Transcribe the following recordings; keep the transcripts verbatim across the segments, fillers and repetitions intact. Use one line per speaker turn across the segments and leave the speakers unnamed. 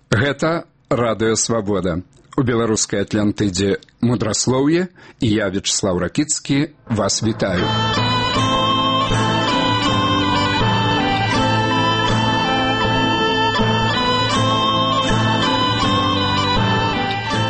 Гэта радыё Свабода. У беларускай Атлантыдзе мудраслоўе, і я, Вячеслав Ракіцкі, вас вітаю.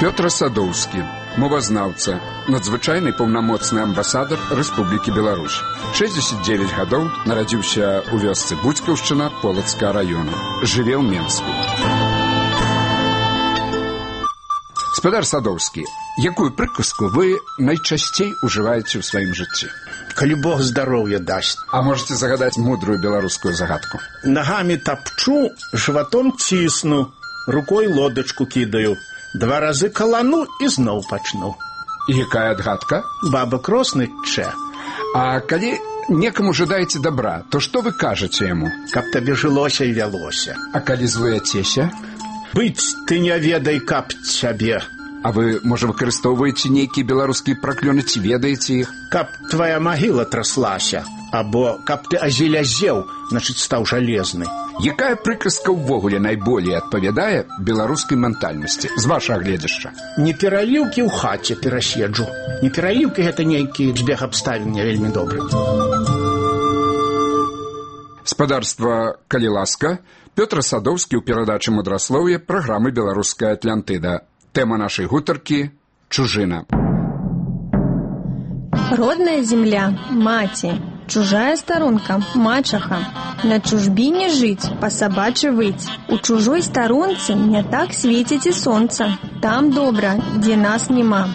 Пётр Садоўскі, мовазнаўца, надзвычайны паўнамоцны амбасадар Рэспублікі Беларусь. шэсцьдзесят дзевяць гадоў, нарадзіўся ў вёсцы Буцькаўшчына Полацкага раёна. Жыве ў Менску. Спадар Садоўскі, якую прыказку вы найчасцей ужываеце ў сваім жыцці?
Калі Бог здароўя дасць.
А можете загадаць мудрую беларускую загадку?
Нагамі тапчу, жыватом цісну, рукой лодачку кідаю, два разы калану і зноў пачну.
І якая адгадка?
Баба кросны чэ.
А калі некаму жадаеце добра, то што вы кажаце яму?
Каб табе жылося і вялося.
А калі злуяцеся?
Быць ты не ведай, каб цябе.
А вы, можа, выкарыстоўваеце нейкія беларускія праклёны, ці ведаеце іх?
Каб твая магіла траслася, або каб ты азелязеў, значыць, стаў жалезны.
Якая прыказка ўвогуле найболей адпавядае беларускай ментальнасці, з вашага гледзяшча?
Не пераліўкі ў хаце пераседжу. Не пераліўкі — гэта нейкі збег абставін не вельмі добры.
Спадарства, калі ласка, Пётр Садоўскі ў перадачы мудраслоўе праграмы «Беларуская Атлантыда». Тэма нашай гутаркі – чужына.
Родная земля – маці, чужая сторонка – мачаха. На чужбине жить, по собачьи выть. У чужой сторонцы не так светит и солнце. Там добра, где нас нема.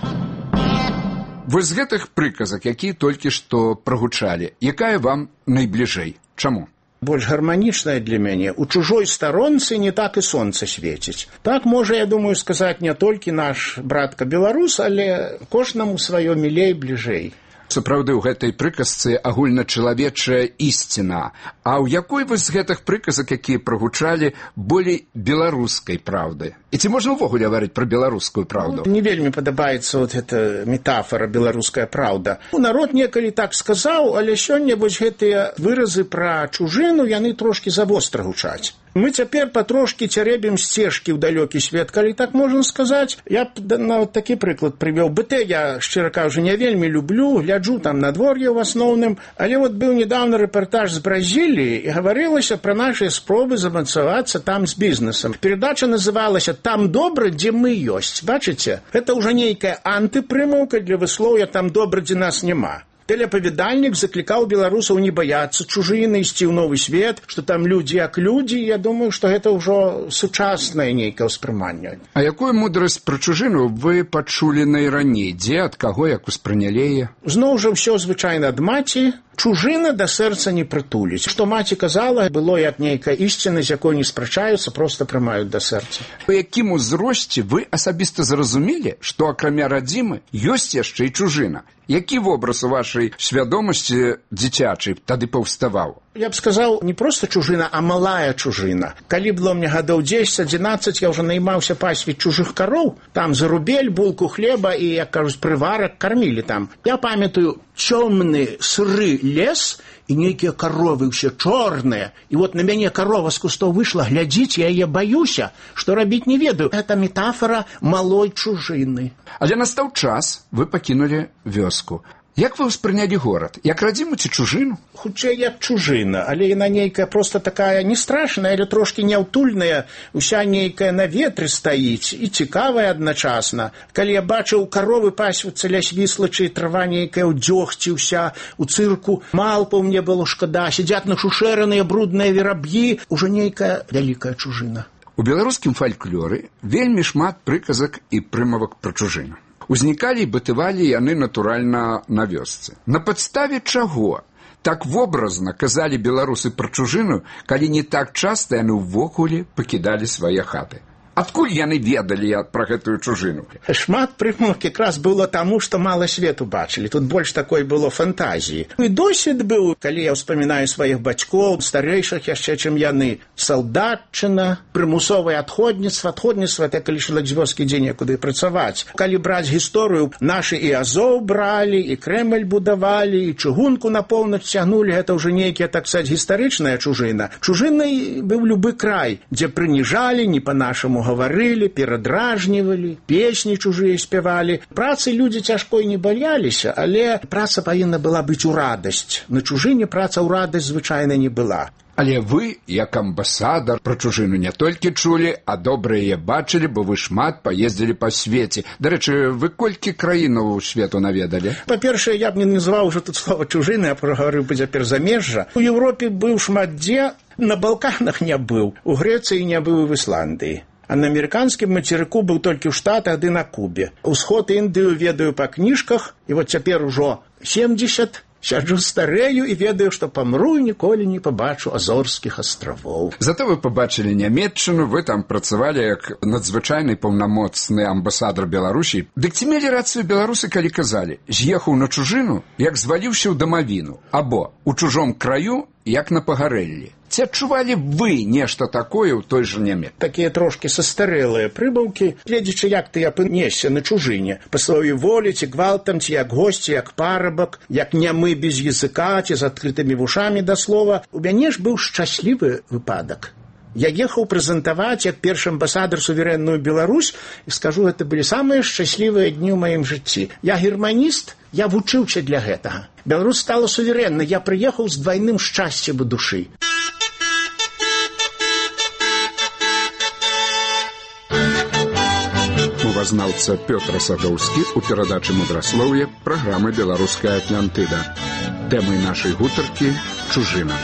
Вы з гэтых прыказак, якія толькі што прагучалі, якая вам найбліжэй? Чаму?
Больш гарманічная для мяне. У чужой сторонцы не так і сонца свеціць. Так можа, я думаю, сказаць не толькі наш братка-беларус, але кожнаму сваё мілей бліжэй.
Сапраўды, у гэтай прыказцы агульначалавечая ісціна. А ў якой вы з гэтых прыказак, якія прагучалі, болей беларускай праўды? І ці можна ўвогуле гаварыць пра беларускую праўду?
Не вельмі падабаецца вот эта метафора «беларуская праўда». Народ некалі так сказаў, але сёння вось гэтыя выразы пра чужыну, яны трошкі завостра гучаць. Мы цяпер патрошкі цярэбім сцежкі ў далёкі свет, калі так можна сказаць. Я б нават такі прыклад прывёў. БТ я, шчыра кажучы, не вельмі люблю, гляджу там надвор'е ў асноўным, але вот быў недавно рэпартаж з Бразіліі, і гаварылася пра нашы спробы замацавацца там з бізнесам. Перадача называлася «Там добра, дзе мы ёсць». Бачыце? Гэта ўжо нейкая антыпрымаўка для выслоўя «Там добра, дзе нас няма». Тэлеапавядальнік заклікаў беларусаў не баяцца чужыны, ісці ў новы свет, што там людзі як людзі. Я думаю, што гэта ўжо сучаснае нейкае ўспрыманне.
А якую мудрасць пра чужыну вы пачулі найраней? Дзе, ад каго, як успрынялі яе?
Зноў жа ўсё звычайна ад маці. Чужына да сэрца не прытуліць. Што маці казала, было як нейкая ісціна, з якой не спрачаюцца, проста прымаюць да сэрца.
У якім узросце вы асабіста зразумелі, што акрамя радзімы ёсць яшчэ і чужына? Які вобраз у вашай свядомасці дзіцячай тады паўставаў?
Я б сказаў, не проста чужына, а малая чужына. Калі было мне гадоў дзесяць-адзінаццаць, я ўжо наймаўся пасвіць чужых кароў. Там за рубель, булку хлеба і, як кажуць, прыварак кармілі там. Я памятаю, цёмны сыры лес і нейкія каровы ўсе чорныя. І вот на мяне карова з кустоў выйшла, глядзіць, я яе баюся, што рабіць не ведаю. Гэта метафора малой чужыны.
Але настаў час, вы пакінулі вёску. Як вы ўспрынялі горад? Як радзіму ці чужыну?
Хутчэй як чужына, але яна нейкая проста такая не страшная, але трошкі няўтульная, уся нейкая на ветры стаіць і цікавая адначасна. Калі я бачыў каровы пасвіцца ля свіслачы, трава нейкая ў дзёгці ўся, у цырку малпаў мне было шкада, сядзяць нашушэраныя брудныя вераб'і, ужо нейкая вялікая чужына.
У беларускім фальклоры вельмі шмат прыказак і прымавак пра чужыну. Узнікалі і бытывалі яны, натуральна, на вёсцы. На падставе чаго так вобразна казалі беларусы пра чужыну, калі не так часта яны ўвогуле пакідалі свае хаты? Адкуль яны ведалі пра гэтую чужыну?
Шмат прымавак якраз было таму, што мала свету бачылі. Тут больш такой было фантазіі. І досвед быў, калі я ўспамінаю сваіх бацькоў, старэйшых яшчэ, чым яны. Салдатчына, прымусовае адходніцтва. Адходніцтва — это калі чалавек з вёскі ідзе некуды працаваць. Калі браць гісторыю, нашы і Азоў бралі, і Крэмль будавалі, і чыгунку на поўнач цягнулі. Гэта ўжо нейкія, так сказаць, гістарычная чужына. Чужынай быў любы край, дзе прыніжалі не па-нашаму по-чужому гаварылі, перадражнівалі, песні чужыя спявалі. Працы людзі цяжкой не баяліся, але праца павінна была быць у радасць. На чужыне праца ў радасць звычайна не была.
Але вы, як амбасадар, пра чужыну не толькі чулі, а добра яе бачылі, бо вы шмат паездзілі па свеце. Дарэчы, вы колькі краінаў свету наведалі?
Па-першае, я б не называў уже тут слова чужыны, а прагаварыў бы цяпер замежжа. У Еўропе быў шмат дзе, на Балканах не быў, у Грэцыі не быў і в Ісландыі. А на амерыканскім мацерыку быў толькі ў Штатах ды на Кубе. Усход Індыю ведаю па кніжках, і вот цяпер ужо семдзесят. Сяджу старею і ведаю, што памру і ніколі не пабачу Азорскіх астравоў.
Зато вы пабачылі Нямецчыну, вы там працавалі як надзвычайны паўнамоцны амбасадар Беларусі. Дык ці мелі рацыю беларусы, калі казалі: з'ехаў на чужыну, як зваліўся ў дамавіну, або у чужом краю, як на пагарэллі. Ці адчувалі вы нешта такое ў той жа Нямец?
Такія трошкі састарэлыя прыбаўкі, гледзячы, як ты апынешся на чужыне, па сваёй волі, ці гвалтам, ці як госці, як парабак, як нямы без языка, ці з адкрытымі вушамі да слова. У мяне ж быў шчаслівы выпадак. Я ехаў прэзентаваць як першы амбасадар суверэнную Беларусь, і скажу, гэта былі самыя шчаслівыя дні ў маім жыцці. Я германіст, я вучыўся для гэтага. Беларусь стала суверэннай, я прыехаў з двайным шчасцем у душы.
Мовазнаўца Пётр Садоўскі у перадачы «Мудраслоўе» праграмы «Беларуская Атлантыда». Тэмай нашай гутаркі – чужына.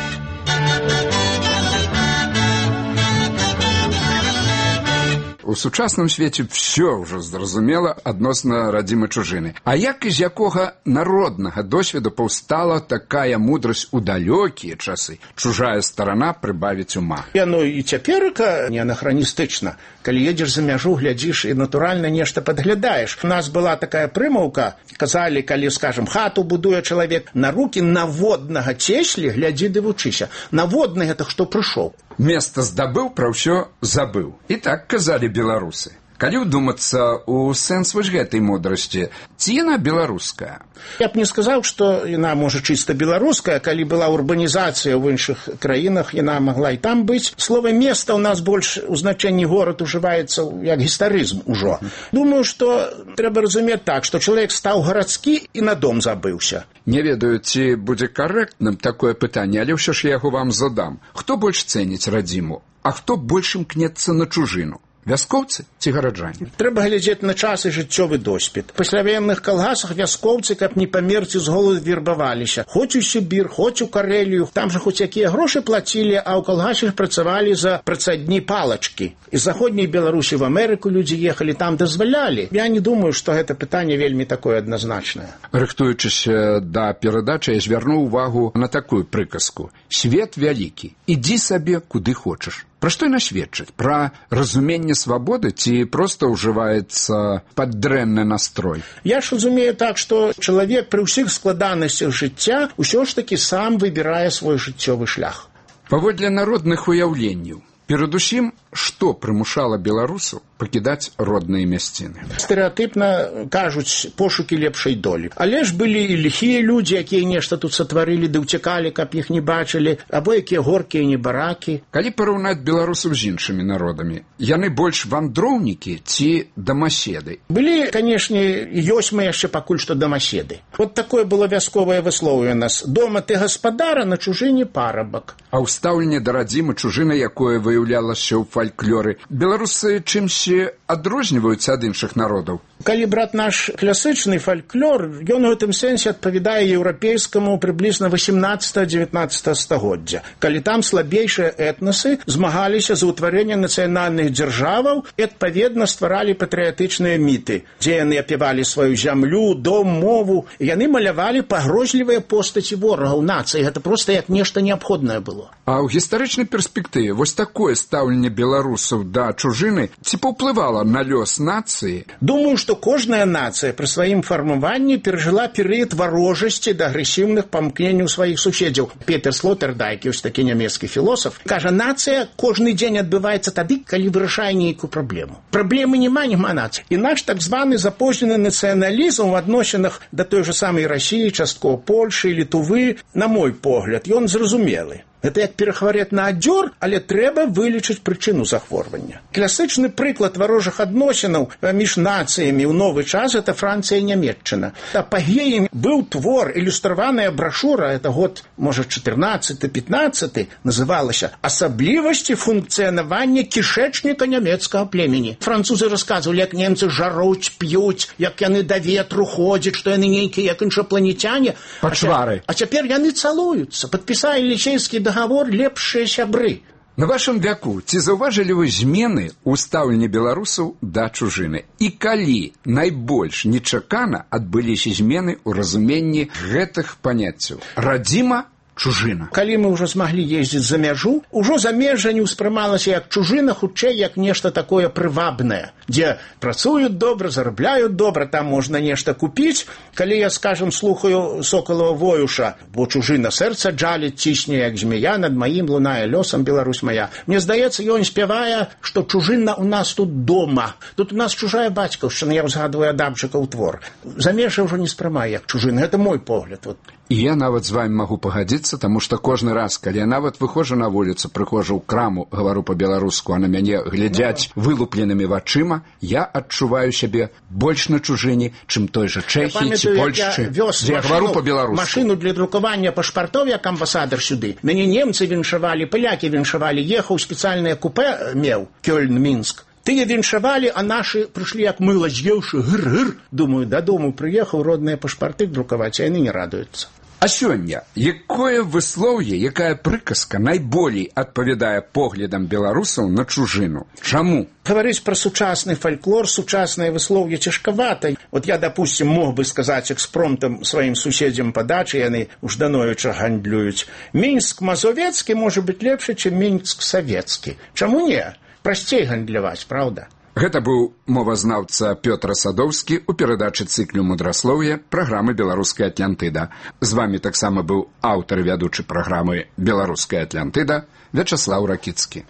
У сучасным свеце ўсё ўжо зразумела адносна радзімай чужыны. А як і з якога народнага досведу паўстала такая мудрасць у далёкія часы? Чужая старана прыбавіць ума.
Яно і цяперка не анахраністычна. Калі едзеш за мяжу, глядзіш і натуральна нешта падглядаеш. У нас была такая прымаўка, казалі, калі, скажем, хату будуе чалавек, на рукі наводнага цеслі глядзі ды вучыся. Наводны гэта хто прыйшоў.
Места здабыў, пра ўсё забыў. І так казалі беларусы. Калі ўдумацца ў сэнс вось гэтай мудрасці, ці яна беларуская?
Я б не сказаў, што яна, можа, чыста беларуская. Калі была урбанізацыя ў іншых краінах, яна магла і там быць. Слова «места» ў нас больш у значэнні горад ужываецца як гістарызм ужо. Думаю, што трэба разумець так, што чалавек стаў гарадскі і на дом забыўся.
Не ведаю, ці будзе карэктным такое пытанне, але ўсё ж я яго вам задам. Хто больш цэніць радзіму, а хто больш імкнецца на чужыну? Вяскоўцы ці гараджане?
Трэба глядзець на час і жыццёвы досвед. Па пасляваенных калгасах вяскоўцы, каб не памерці з голаду, вербаваліся. Хоць у Сібір, хоць у Карэлію. Там жа хоць якія грошы плацілі, а ў калгасе працавалі за працадні палачкі. З заходняй Беларусі в Амерыку людзі ехалі, там дазвалялі. Я не думаю, што гэта пытанне вельмі такое адназначнае.
Рыхтуючыся да перадачы, я звярнуў увагу на такую прыказку. Свет вялікі, ідзі сабе куды хочаш. Пра што яна сведчыць? Пра разуменне свабоды ці проста ўжываецца паддрэнны настрой?
Я ж разумею так, што чалавек пры ўсіх складанасцях жыцця ўсё ж такі сам выбірае свой жыццёвы шлях.
Паводле народных уяўленняў, перадусім, што прымушала беларусаў пакідаць родныя мясціны?
Стэрэатыпна кажуць пошукі лепшай долі. Але ж былі і ліхія людзі, якія нешта тут сатварылі ды ўцякалі, каб іх не бачылі, або якія горкія небаракі.
Калі параўнаць беларусаў з іншымі народамі, яны больш вандроўнікі ці дамаседы?
Былі, канешне, ёсць мы яшчэ пакуль што дамаседы. Вот такое было вясковае выслоўе у нас. Дома ты гаспадара, на чужыне парабак.
А ў стаўленні да радзімы чужына, якое выяўлялася ў фальклоры, беларусы чымсьці адрозніваюцца ад іншых народаў?
Калі браць наш класычны фальклор, ён у гэтым сэнсе адпавядае еўрапейскаму прыблізна васемнаццатага-дзевятнаццатага стагоддзя. Калі там слабейшыя этнасы змагаліся за ўтварэнне нацыянальных дзяржаваў і, адпаведна, стваралі патрыятычныя міты, дзе яны апявалі сваю зямлю, дом, мову, і яны малявалі пагрозлівыя постаці ворагаў нацыі. Гэта проста як нешта неабходнае было.
А ў гістарычнай перспектыве вось такое стаўленне беларусаў да чужыны ці паўплывала на лёс нацыі?
Думаю, што кожная нацыя пры сваім фармаванні перажыла перыяд варожасці да агрэсіўных памкненняў сваіх суседзяў. Петер Слотэрдайк, ёсць такі нямецкі філосаф, кажа, нацыя кожны дзень адбываецца тады, калі вырашае нейкую праблему. Праблемы няма, няма нацыі. І наш так званы запознены нацыяналізм у адносінах да той жа самай Расіі, часткова Польшы, Літувы, на мой погляд, ён зразумелы. Гэта як перахварэць на адзёр, але трэба вылечыць прычыну захворвання. Класычны прыклад варожых адносінаў між нацыямі ў новы час – это Францыя і Нямецчына. Апагеем быў твор, ілюстраваная брашура, это год, можа, чатырнаццаты-пятнаццаты, называлася «Асаблівасці функцыянавання кішэчніка нямецкага племені». Французы расказвалі, як немцы жаруць, п'юць, як яны да ветру ходзяць, што яны нейкія, як іншапланецяне.
Пачвары.
А цяпер яны цалуюцца, падпісалі лічэйскі дагавор лепшыя сябры.
На вашым вяку ці заўважылі вы змены ў стаўленні беларусаў да чужыны? І калі найбольш нечакана адбыліся змены ў разуменні гэтых паняццяў? Радзіма, чужына.
Калі мы ўжо змаглі ездзіць за мяжу, ужо замежжа не ўспрымалася як чужына, хутчэй як нешта такое прывабнае, дзе працуюць добра, зарабляюць добра, там можна нешта купіць. Калі я, скажем, слухаю Сокалова Воюша, бо чужына сэрца джаліць, цісне як змея, над маім лунае лёсам Беларусь моя. Мне здаецца, ён спявае, што чужына ў нас тут дома. Тут у нас чужая бацькаўшчына, я ўзгадваю Адамчыкаў твор. Замежжа ўжо не спрымае як чужына, гэта мой погляд. Вот.
І я нават з вами магу пагадзіцца, таму што кожны раз, калі я нават выходжу на вуліцу, прыходжу ў краму, гавару па-беларуску, а на мяне глядзяць вылупленымі вачыма, я адчуваю сябе больш на чужыне, чым той жа Чэхіі ці Польшчы, дзе я гавару па-беларуску.
Машыну для друкавання пашпартоў, як амбасадар сюды. Мяне немцы віншавалі, палякі віншавалі, ехаў спецыяльнае купе меў, Кёльн-Мінск. Тыя віншавалі, а нашы прыйшлі як мыла з'еўшы, гыр-гыр. Думаю, дадому прыехаў родныя пашпарты друкаваць, а яны не радуюцца.
А сёння, якое выслоўе, якая прыказка найболей адпавядае поглядам беларусаў на чужыну? Чаму?
Гаварыць пра сучасны фальклор, сучаснае выслоўе цяжкавата. Вот я, допустим, мог бы сказаць экспромтам сваім суседзям па дачы, яны ужданоюча гандлююць. Мінск-мазовецкі можа быць лепшы, чым Мінск-савецкі. Чаму не? Прасцей гандляваць, правда?
Гэта быў мовазнаўца Пётр Садоўскі ў перадачы цыклю «Мудраслоўе» праграмы «Беларуская Атлантыда». З вамі таксама быў аўтар і вядучы праграмы «Беларуская Атлантыда» Вячаслаў Ракіцкі.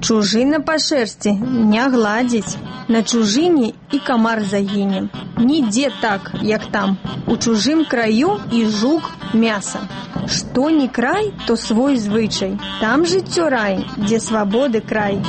Чужына па шэрсці не гладзіць. На чужыне і камар загіне. Нідзе так, як там. У чужым краю і жук мяса. Што не край, то свой звычай. Там жыццё рай, дзе свабоды край.